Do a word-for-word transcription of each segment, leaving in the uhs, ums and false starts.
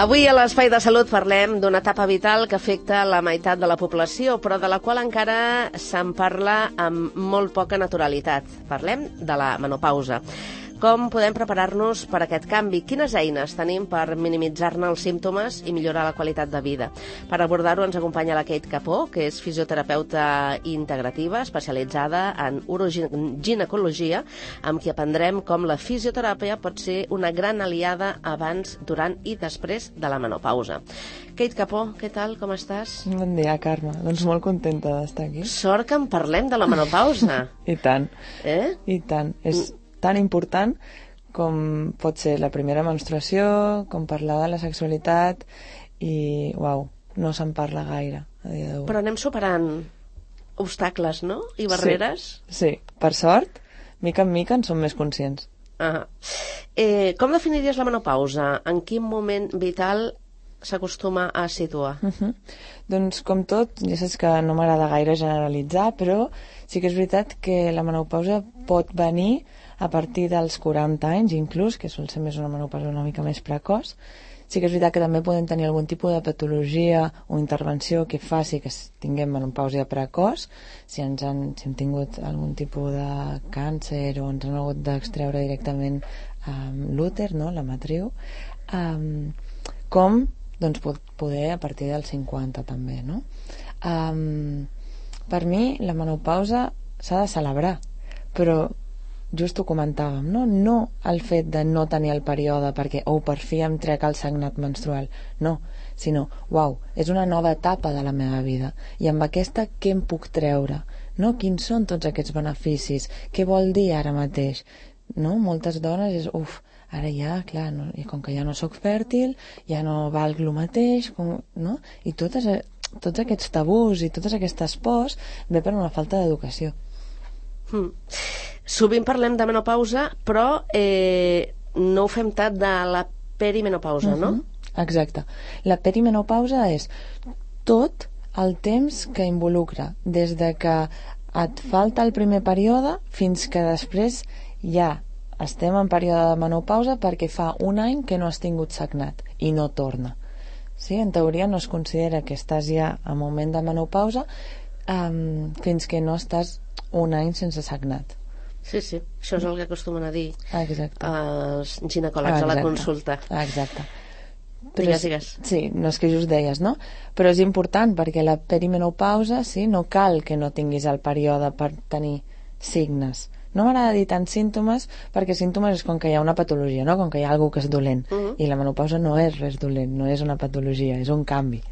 Avui a l'Espai de Salut parlem d'una etapa vital que afecta la meitat de la població, però de la qual encara se'n parla amb molt poca naturalitat. Parlem de la menopausa. Com podem preparar-nos per a aquest canvi? Quines eines tenim per minimitzar-ne els símptomes i millorar la qualitat de vida? Per abordar-ho ens acompanya la Kate Capó, que és fisioterapeuta integrativa especialitzada en uroginecologia, amb qui aprendrem com la fisioteràpia pot ser una gran aliada abans, durant i després de la menopausa. Kate Capó, què tal? Com estàs? Bon dia, Carme. Doncs molt contenta d'estar aquí. Sort que en parlem de la menopausa. I tant. Eh? I tant. És tan important com pot ser la primera menstruació, com parlar de la sexualitat i, uau, no se'n parla gaire a dia d'avui. Però anem superant obstacles, no? I barreres? Sí, sí. Per sort, mica en mica en som més conscients. Ah. Eh, com definiries la menopausa? En quin moment vital s'acostuma a situar? Uh -huh. Doncs com tot, ja saps que no m'agrada gaire generalitzar, però sí que és veritat que la menopausa pot venir a partir dels quaranta anys inclús, que sol ser més una menopausa una mica més precoç. Sí que és veritat que també podem tenir algun tipus de patologia o intervenció que faci que tinguem menopausa precoç, si, ens han, si hem tingut algun tipus de càncer o ens han hagut d'extreure directament um, l'úter, no? La matriu, um, com doncs poder a partir dels cinquanta també, no? Um, per mi la menopausa s'ha de celebrar, però just ho comentàvem, no? No el fet de no tenir el període perquè, oh, per fi em trec el sagnat menstrual, no, sinó, uau, és una nova etapa de la meva vida i amb aquesta què em puc treure, no? Quins són tots aquests beneficis? Què vol dir ara mateix? No? Moltes dones és, uf, ara ja, clar, no, i com que ja no sóc fèrtil, ja no valc el mateix, com, no? I totes, tots aquests tabús i totes aquestes pors ve per una falta d'educació. Hmm. Sovint parlem de menopausa, però eh, no ho fem tant de la perimenopausa, uh-huh. no? Exacte. La perimenopausa és tot el temps que involucra, des de que et falta el primer període fins que després ja estem en període de menopausa perquè fa un any que no has tingut sagnat i no torna. Sí? En teoria no es considera que estàs ja en moment de menopausa um, fins que no estàs un any sense sagnat. Sí, sí, això és el que acostumen a dir Exacte. els ginecòlegs Exacte. a la consulta. Exacte. Però digues, digues. Sí, no és que just deies, no? Però és important perquè la perimenopausa, sí, no cal que no tinguis el període per tenir signes. No m'agrada dir tant símptomes perquè símptomes és com que hi ha una patologia, no? Com que hi ha alguna que és dolent. Uh-huh. I la menopausa no és res dolent, no és una patologia, és un canvi,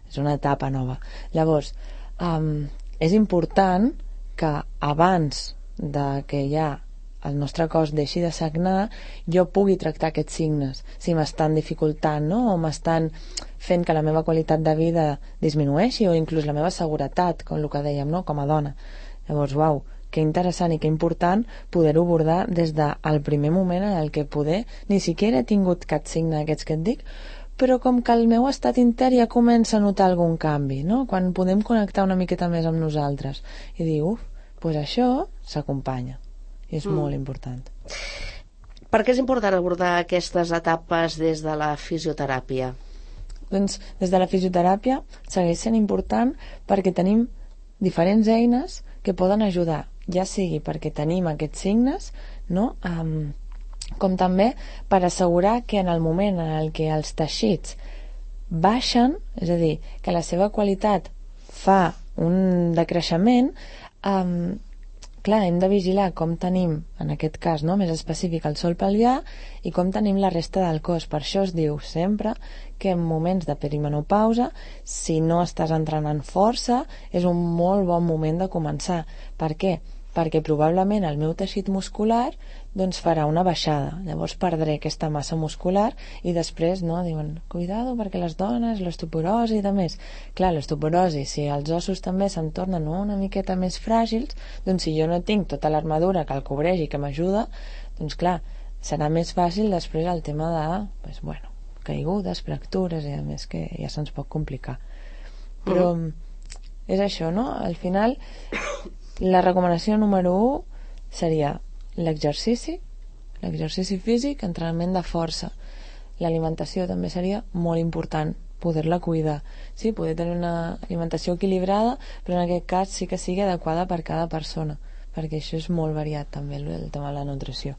és una etapa nova. Llavors, um, és important que abans de que ja el nostre cos deixi de sagnar, jo pugui tractar aquests signes, si m'estan dificultant, no? O m'estan fent que la meva qualitat de vida disminueixi o inclús la meva seguretat, com el que dèiem, no? Com a dona. Llavors, uau, que interessant i que important poder-ho abordar des del primer moment en el que poder ni siquiera he tingut cap signe d'aquests que et dic, però com que el meu estat intern ja comença a notar algun canvi, no? Quan podem connectar una miqueta més amb nosaltres i dir, uf, doncs això s'acompanya i és mm. molt important. Per què és important abordar aquestes etapes des de la fisioteràpia? Doncs des de la fisioteràpia segueix sent important perquè tenim diferents eines que poden ajudar, ja sigui perquè tenim aquests signes, no? Um, com també per assegurar que en el moment en el que els teixits baixen, és a dir, que la seva qualitat fa un decreixement, um, clar, hem de vigilar com tenim, en aquest cas, no? Més específic el sòl pelvià i com tenim la resta del cos. Per això es diu sempre que en moments de perimenopausa, si no estàs entrenant força, és un molt bon moment de començar. Per què? Perquè probablement el meu teixit muscular doncs farà una baixada, llavors perdré aquesta massa muscular i després, no, diuen, cuidado perquè les dones, l'osteoporosi i de més. Clar, l'osteoporosi, si els ossos també se'm tornen una miqueta més fràgils, doncs si jo no tinc tota l'armadura que el cobreix i que m'ajuda, doncs clar, serà més fàcil després el tema de, pues, bueno, caigudes, fractures i a més que ja se'ns pot complicar. Però mm. és això, no? Al final la recomanació número u seria l'exercici, l'exercici físic, entrenament de força. l'alimentació també seria molt important poder-la cuidar, sí, poder tenir una alimentació equilibrada, però en aquest cas sí que sigui adequada per cada persona, perquè això és molt variat també, el tema de la nutrició.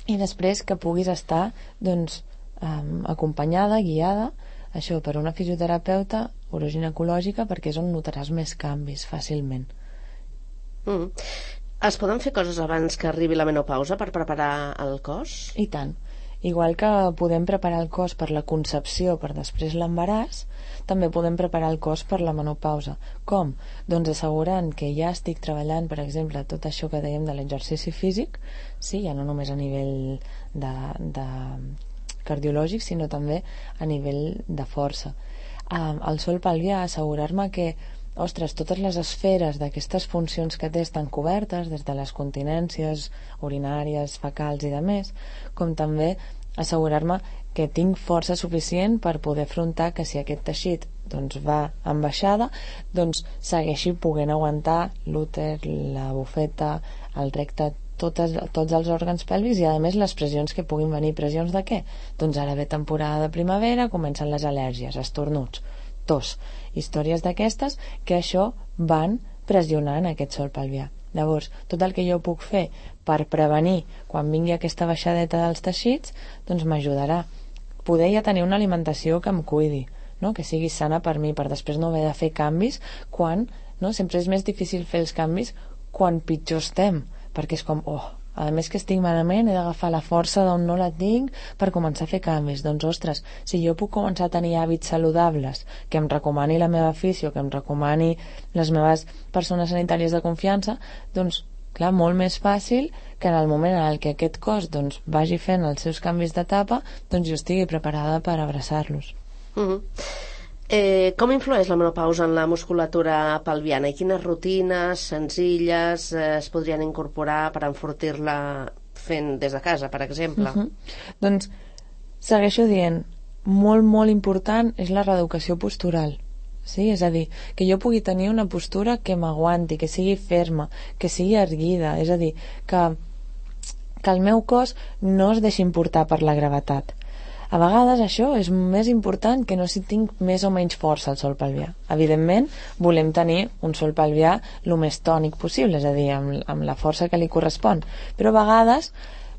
I després que puguis estar doncs, um, acompanyada, guiada, això per una fisioterapeuta uroginecològica, perquè és on notaràs més canvis fàcilment. Mm. Es poden fer coses abans que arribi la menopausa per preparar el cos? I tant. Igual que podem preparar el cos per la concepció, per després l'embaràs, també podem preparar el cos per la menopausa. Com? Doncs assegurant que ja estic treballant, per exemple, tot això que dèiem de l'exercici físic, sí, ja no només a nivell de, de cardiològic, sinó també a nivell de força. Um, el sol pelvià, assegurar-me que ostres, totes les esferes d'aquestes funcions que té estan cobertes, des de les continències urinàries, fecals i de més, com també assegurar-me que tinc força suficient per poder afrontar que si aquest teixit doncs, va en baixada, doncs segueixi podent aguantar l'úter, la bufeta, el recte, totes, tots els òrgans pèlvics i a més les pressions que puguin venir. Pressions de què? Doncs ara ve temporada de primavera, comencen les al·lèrgies, estornuts, tos, històries d'aquestes que això van pressionant aquest sol pelvià. Llavors, tot el que jo puc fer per prevenir quan vingui aquesta baixadeta dels teixits, doncs m'ajudarà. Poder ja tenir una alimentació que em cuidi, no? Que sigui sana per mi, per després no haver de fer canvis quan, no? Sempre és més difícil fer els canvis quan pitjor estem, perquè és com, oh, a més que estic malament, he d'agafar la força d'on no la tinc per començar a fer canvis. Doncs, ostres, si jo puc començar a tenir hàbits saludables, que em recomani la meva afició, que em recomani les meves persones sanitàries de confiança, doncs, clar, molt més fàcil que en el moment en què aquest cos doncs, vagi fent els seus canvis d'etapa, doncs jo estigui preparada per abraçar-los. Uh-huh. Eh, com influeix la menopausa en la musculatura pelviana i quines rutines senzilles eh, es podrien incorporar per enfortir-la fent des de casa, per exemple? Uh-huh. Doncs segueixo dient, molt, molt important és la reeducació postural. Sí? És a dir, que jo pugui tenir una postura que m'aguanti, que sigui ferma, que sigui erguida, és a dir, que, que el meu cos no es deixi importar per la gravetat. A vegades això és més important que no si tinc més o menys força al sol pelvià. Evidentment, volem tenir un sol pelvià el més tònic possible, és a dir, amb, amb la força que li correspon. Però a vegades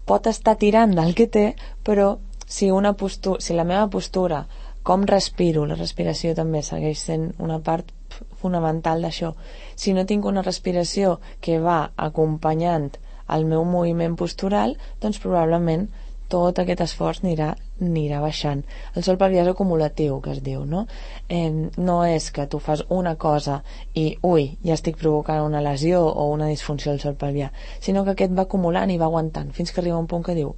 pot estar tirant del que té, però si, una postura, si la meva postura, com respiro, la respiració també segueix sent una part fonamental d'això. Si no tinc una respiració que va acompanyant el meu moviment postural, doncs probablement tot aquest esforç anirà, anirà baixant. El sol pelvià és acumulatiu, que es diu, no? Eh, no és que tu fas una cosa i, ui, ja estic provocant una lesió o una disfunció del sol pelvià, sinó que aquest va acumulant i va aguantant, fins que arriba un punt que diu,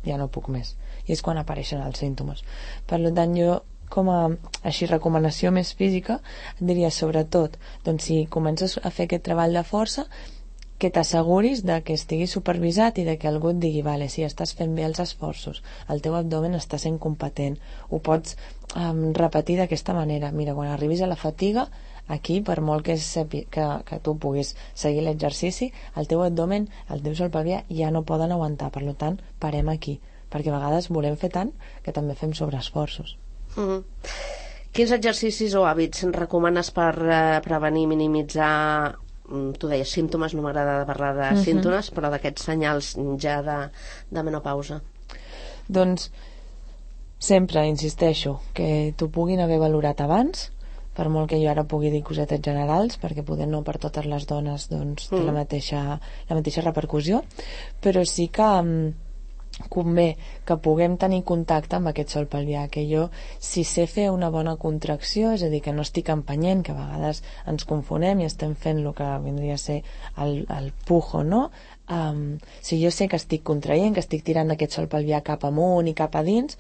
ja no puc més. I és quan apareixen els símptomes. Per tant, jo, com a així recomanació més física, diria sobretot, doncs si comences a fer aquest treball de força, que t'asseguris de que estigui supervisat i de que algú et digui, vale, si estàs fent bé els esforços, el teu abdomen està sent competent, ho pots um, repetir d'aquesta manera. Mira, quan arribis a la fatiga, aquí, per molt que, sepi, que, que tu puguis seguir l'exercici, el teu abdomen, el teu sol pelvià ja no poden aguantar, per tant, parem aquí, perquè a vegades volem fer tant que també fem sobreesforços. Mm-hmm. Quins exercicis o hàbits recomanes per eh, prevenir, minimitzar, tu deies símptomes, no m'agrada parlar de uh-huh. símptomes, però d'aquests senyals ja de, de menopausa? Doncs sempre insisteixo que t'ho puguin haver valorat abans, per molt que jo ara pugui dir cosetes generals, perquè poder no per totes les dones doncs, té mm. la, mateixa, la mateixa repercussió, però sí que convé que puguem tenir contacte amb aquest sol pelvià, que jo, si sé fer una bona contracció, és a dir, que no estic empenyent, que a vegades ens confonem i estem fent el que vindria a ser el, el pujo, no? Um, si jo sé que estic contraient, que estic tirant aquest sol pelvià cap amunt i cap a dins,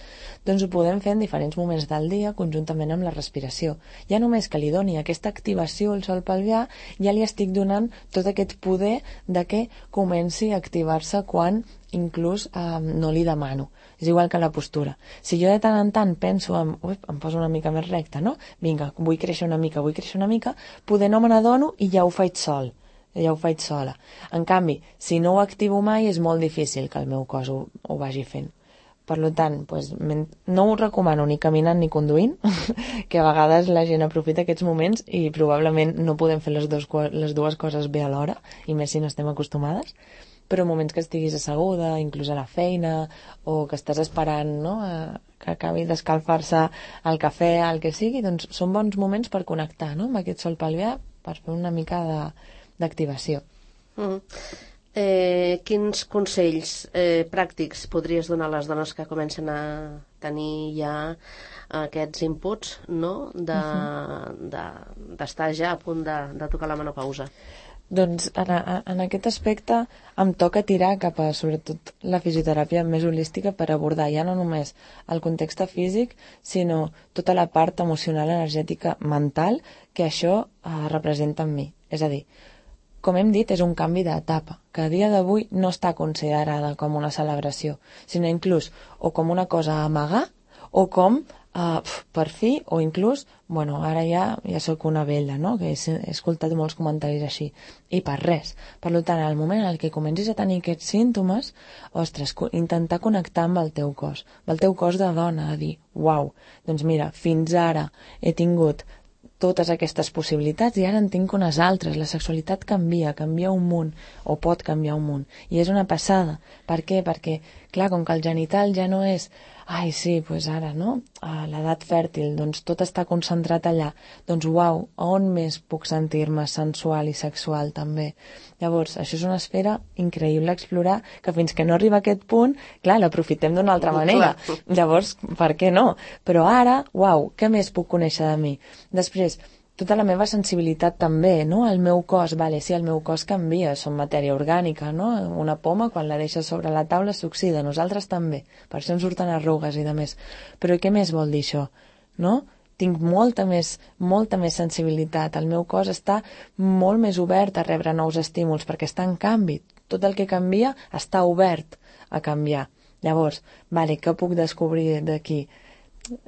doncs ho podem fer en diferents moments del dia conjuntament amb la respiració. Ja només que li doni aquesta activació al sol pelvià, ja li estic donant tot aquest poder de que comenci a activar-se quan inclús um, no li demano. És igual que la postura. Si jo de tant en tant penso en, ui, em poso una mica més recta, no? Vinga, vull créixer una mica, vull créixer una mica, poder no me n'adono i ja ho faig sol. Ja ho faig sola. En canvi, si no ho activo mai, és molt difícil que el meu cos ho, ho vagi fent. Per tant, doncs, no ho recomano ni caminant ni conduint, que a vegades la gent aprofita aquests moments i probablement no podem fer les, dos, les dues coses bé alhora, i més si no estem acostumades, però moments que estiguis asseguda, inclús a la feina, o que estàs esperant, no?, a, que acabi d'escalfar-se el cafè, el que sigui, doncs són bons moments per connectar, no?, amb aquest sol pelvià, per fer una mica d'activació. Mm. Eh, quins consells eh, pràctics podries donar a les dones que comencen a tenir ja aquests inputs, no?, de, uh-huh. de, d'estar ja a punt de, de tocar la menopausa? Doncs en, en aquest aspecte em toca tirar cap a, sobretot, la fisioteràpia més holística per abordar ja no només el context físic, sinó tota la part emocional, energètica, mental, que això eh, representa en mi. És a dir, com hem dit, és un canvi d'etapa, que a dia d'avui no està considerada com una celebració, sinó inclús o com una cosa a amagar, o com Uh, per fi, o inclús, bueno, ara ja ja sóc una vella, no?, que he, he escoltat molts comentaris així, i per res. Per tant, al moment en què comencis a tenir aquests símptomes, ostres, intentar connectar amb el teu cos, amb el teu cos de dona, a dir, uau, doncs mira, fins ara he tingut totes aquestes possibilitats i ara en tinc unes altres. La sexualitat canvia, canvia un munt, o pot canviar un munt, i és una passada. Per què? Perquè, clar, com que el genital ja no és ai, sí, doncs ara, no?, a l'edat fèrtil, doncs tot està concentrat allà. Doncs, uau, on més puc sentir-me sensual i sexual, també? Llavors, això és una esfera increïble a explorar, que fins que no arriba a aquest punt, clar, l'aprofitem d'una altra manera. Llavors, per què no? Però ara, uau, què més puc conèixer de mi? Després, tota la meva sensibilitat també, no? El meu cos, vale, sí, el meu cos canvia, som matèria orgànica, no? Una poma, quan la deixes sobre la taula, s'oxida, nosaltres també, per això ens surten arrugues i de més. Però què més vol dir això, no? Tinc molta més, molta més sensibilitat, el meu cos està molt més obert a rebre nous estímuls, perquè està en canvi, tot el que canvia està obert a canviar. Llavors, vale, què puc descobrir d'aquí?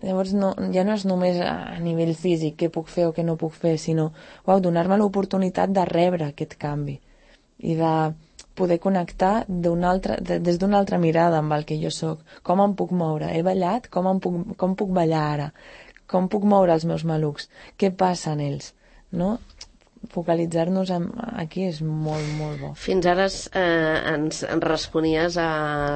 Llavors no, ja no és només a nivell físic què puc fer o què no puc fer, sinó uau, donar-me l'oportunitat de rebre aquest canvi i de poder connectar altra, de, des d'una altra mirada amb el que jo sóc. Com em puc moure? He ballat? Com, em puc, com puc ballar ara? Com puc moure els meus malucs? Què passa en ells? No? Focalitzar-nos en, aquí és molt, molt bo. Fins ara eh, ens, ens responies a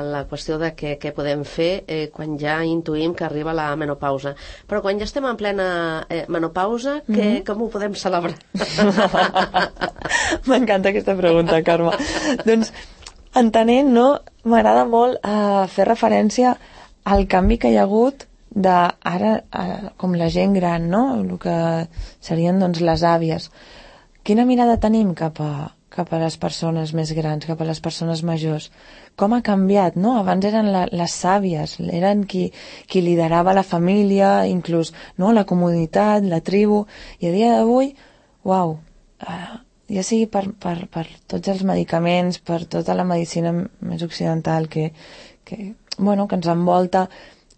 la qüestió de què, què podem fer eh, quan ja intuïm que arriba la menopausa. Però quan ja estem en plena eh, menopausa, que, mm-hmm. com ho podem celebrar? M'encanta aquesta pregunta, Carme. Doncs, entenent, no, m'agrada molt eh, fer referència al canvi que hi ha hagut de ara, ara com la gent gran, no? El que serien, doncs, les àvies. Quina mirada tenim cap a, cap a les persones més grans, cap a les persones majors? Com ha canviat, no? Abans eren la, les sàvies, eren qui, qui liderava la família, inclús, no?, la comunitat, la tribu, i a dia d'avui, uau, uh, ja sigui per, per, per tots els medicaments, per tota la medicina més occidental que, que, bueno, que ens envolta,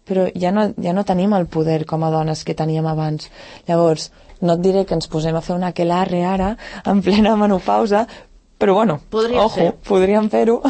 però ja no, ja no tenim el poder com a dones que teníem abans. Llavors, no et diré que ens posem a fer una aquelarre ara, en plena menopausa, però bueno, podríem ojo, fer. podríem fer-ho.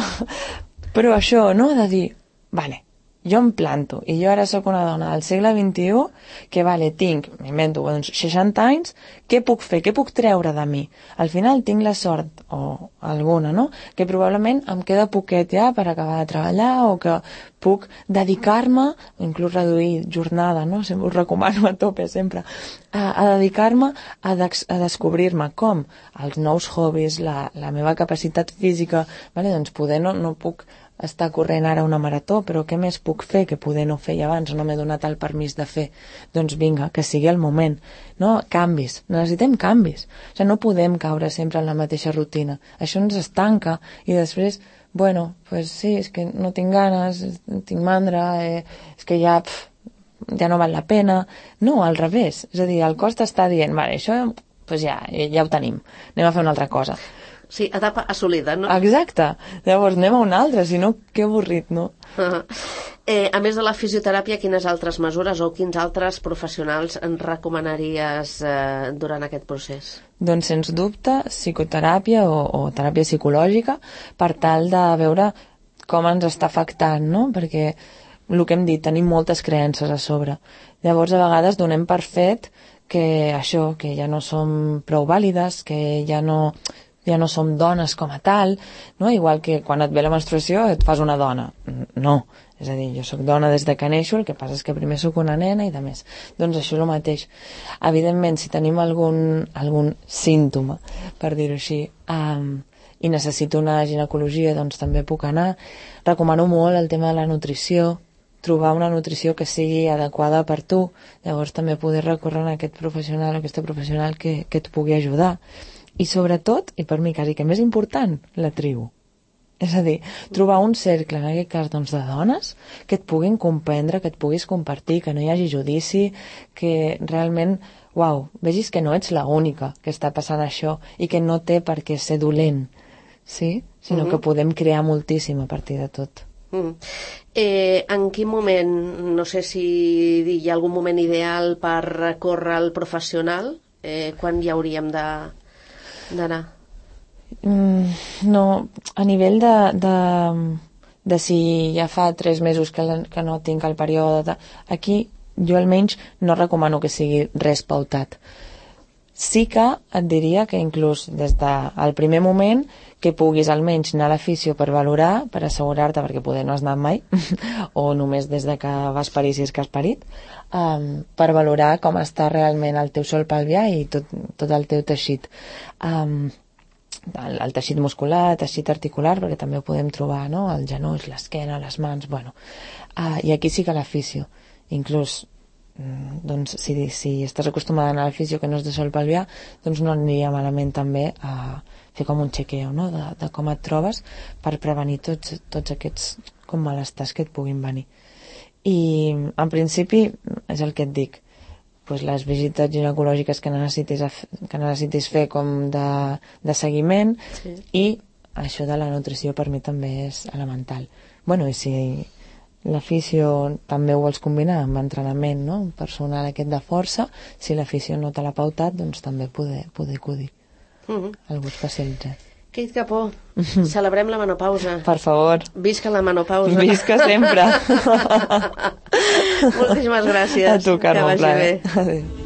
Però això, no?, de dir, vale, jo em planto, i jo ara sóc una dona del segle vint-i-u, que vale, tinc, m'invento, doncs, seixanta anys, què puc fer, què puc treure de mi? Al final tinc la sort, o alguna, no?, que probablement em queda poquet ja per acabar de treballar, o que puc dedicar-me, inclús reduir jornada, no?, sempre us recomano a tope sempre, a, a dedicar-me a, dex, a descobrir-me com els nous hobbies, la, la meva capacitat física, vale, doncs poder no, no puc estar corrent ara una marató, però què més puc fer que poder no fer abans, no m'he donat el permís de fer? Doncs vinga, que sigui el moment, no? Canvis, necessitem canvis, o sigui, no podem caure sempre en la mateixa rutina, això ens estanca, i després, bueno, pues sí, és que no tinc ganes, tinc mandra, eh, és que ja, pf, ja no val la pena, no, al revés, és a dir, el cos t'està dient, vale, això pues ja, ja ho tenim, anem a fer una altra cosa. Sí, etapa assolida, no? Exacte. Llavors anem a una altra, si no, que avorrit, no? Uh-huh. Eh, a més de la fisioteràpia, quines altres mesures o quins altres professionals ens recomanaries eh, durant aquest procés? Doncs, sens dubte, psicoteràpia o, o teràpia psicològica per tal de veure com ens està afectant, no? Perquè el que hem dit, tenim moltes creences a sobre. Llavors, a vegades donem per fet que això, que ja no som prou vàlides, que ja no, ja no som dones com a tal, no? Igual que quan et ve la menstruació et fas una dona. No, és a dir, jo sóc dona des de que neixo, el que passa és que primer sóc una nena i de més. Doncs això és el mateix. Evidentment, si tenim algun, algun símptoma, per dir-ho així, um, i necessito una ginecologia, doncs també puc anar. Recomano molt el tema de la nutrició, trobar una nutrició que sigui adequada per tu, llavors també poder recórrer a aquest professional o aquesta professional que, que et pugui ajudar. I sobretot, i per mi quasi que més important, la tribu. És a dir, trobar un cercle, en aquest cas doncs, de dones, que et puguin comprendre, que et puguis compartir, que no hi hagi judici, que realment, uau, vegis que no ets l'única que està passant això i que no té per què ser dolent, sí? Sinó mm-hmm. que podem crear moltíssim a partir de tot. Mm. Eh, en quin moment, no sé si hi ha algun moment ideal per recórrer al professional, eh, quan hi hauríem de, d'anar? Mm, no, a nivell de, de, de si ja fa tres mesos que, la, que no tinc el període, aquí jo almenys no recomano que sigui res pautat. Sí que et diria que inclús des del primer moment que puguis almenys anar a l'afisio per valorar, per assegurar-te, perquè poder no has anat mai, o només des de que vas parir si és que has parit, um, per valorar com està realment el teu sòl pelvià i tot, tot el teu teixit. Um, el, el teixit muscular, el teixit articular, perquè també ho podem trobar, no? Els genolls, l'esquena, les mans, bueno. Uh, I aquí sí que l'afisio. Inclús doncs si, si estàs acostumada a anar a la fisio que no és de sòl pelvià, doncs no aniria malament també a fer com un chequeo, no? de, de com et trobes per prevenir tots, tots aquests com malestars que et puguin venir. I en principi és el que et dic, pues les visites ginecològiques que necessitis, que necessitis fer com de, de seguiment, sí. I això de la nutrició per mi també és elemental. Bueno, i si l'afició també ho vols combinar amb entrenament, no? Personal aquest de força, si l'afició no te l'ha pautat, doncs també poder, poder acudir uh -huh. a algú especialitzat. Kate Capó, celebrem la menopausa. Per favor. Visca la menopausa. Visca sempre. Moltíssimes gràcies. A tu, Carme, que vagi bé. Adéu.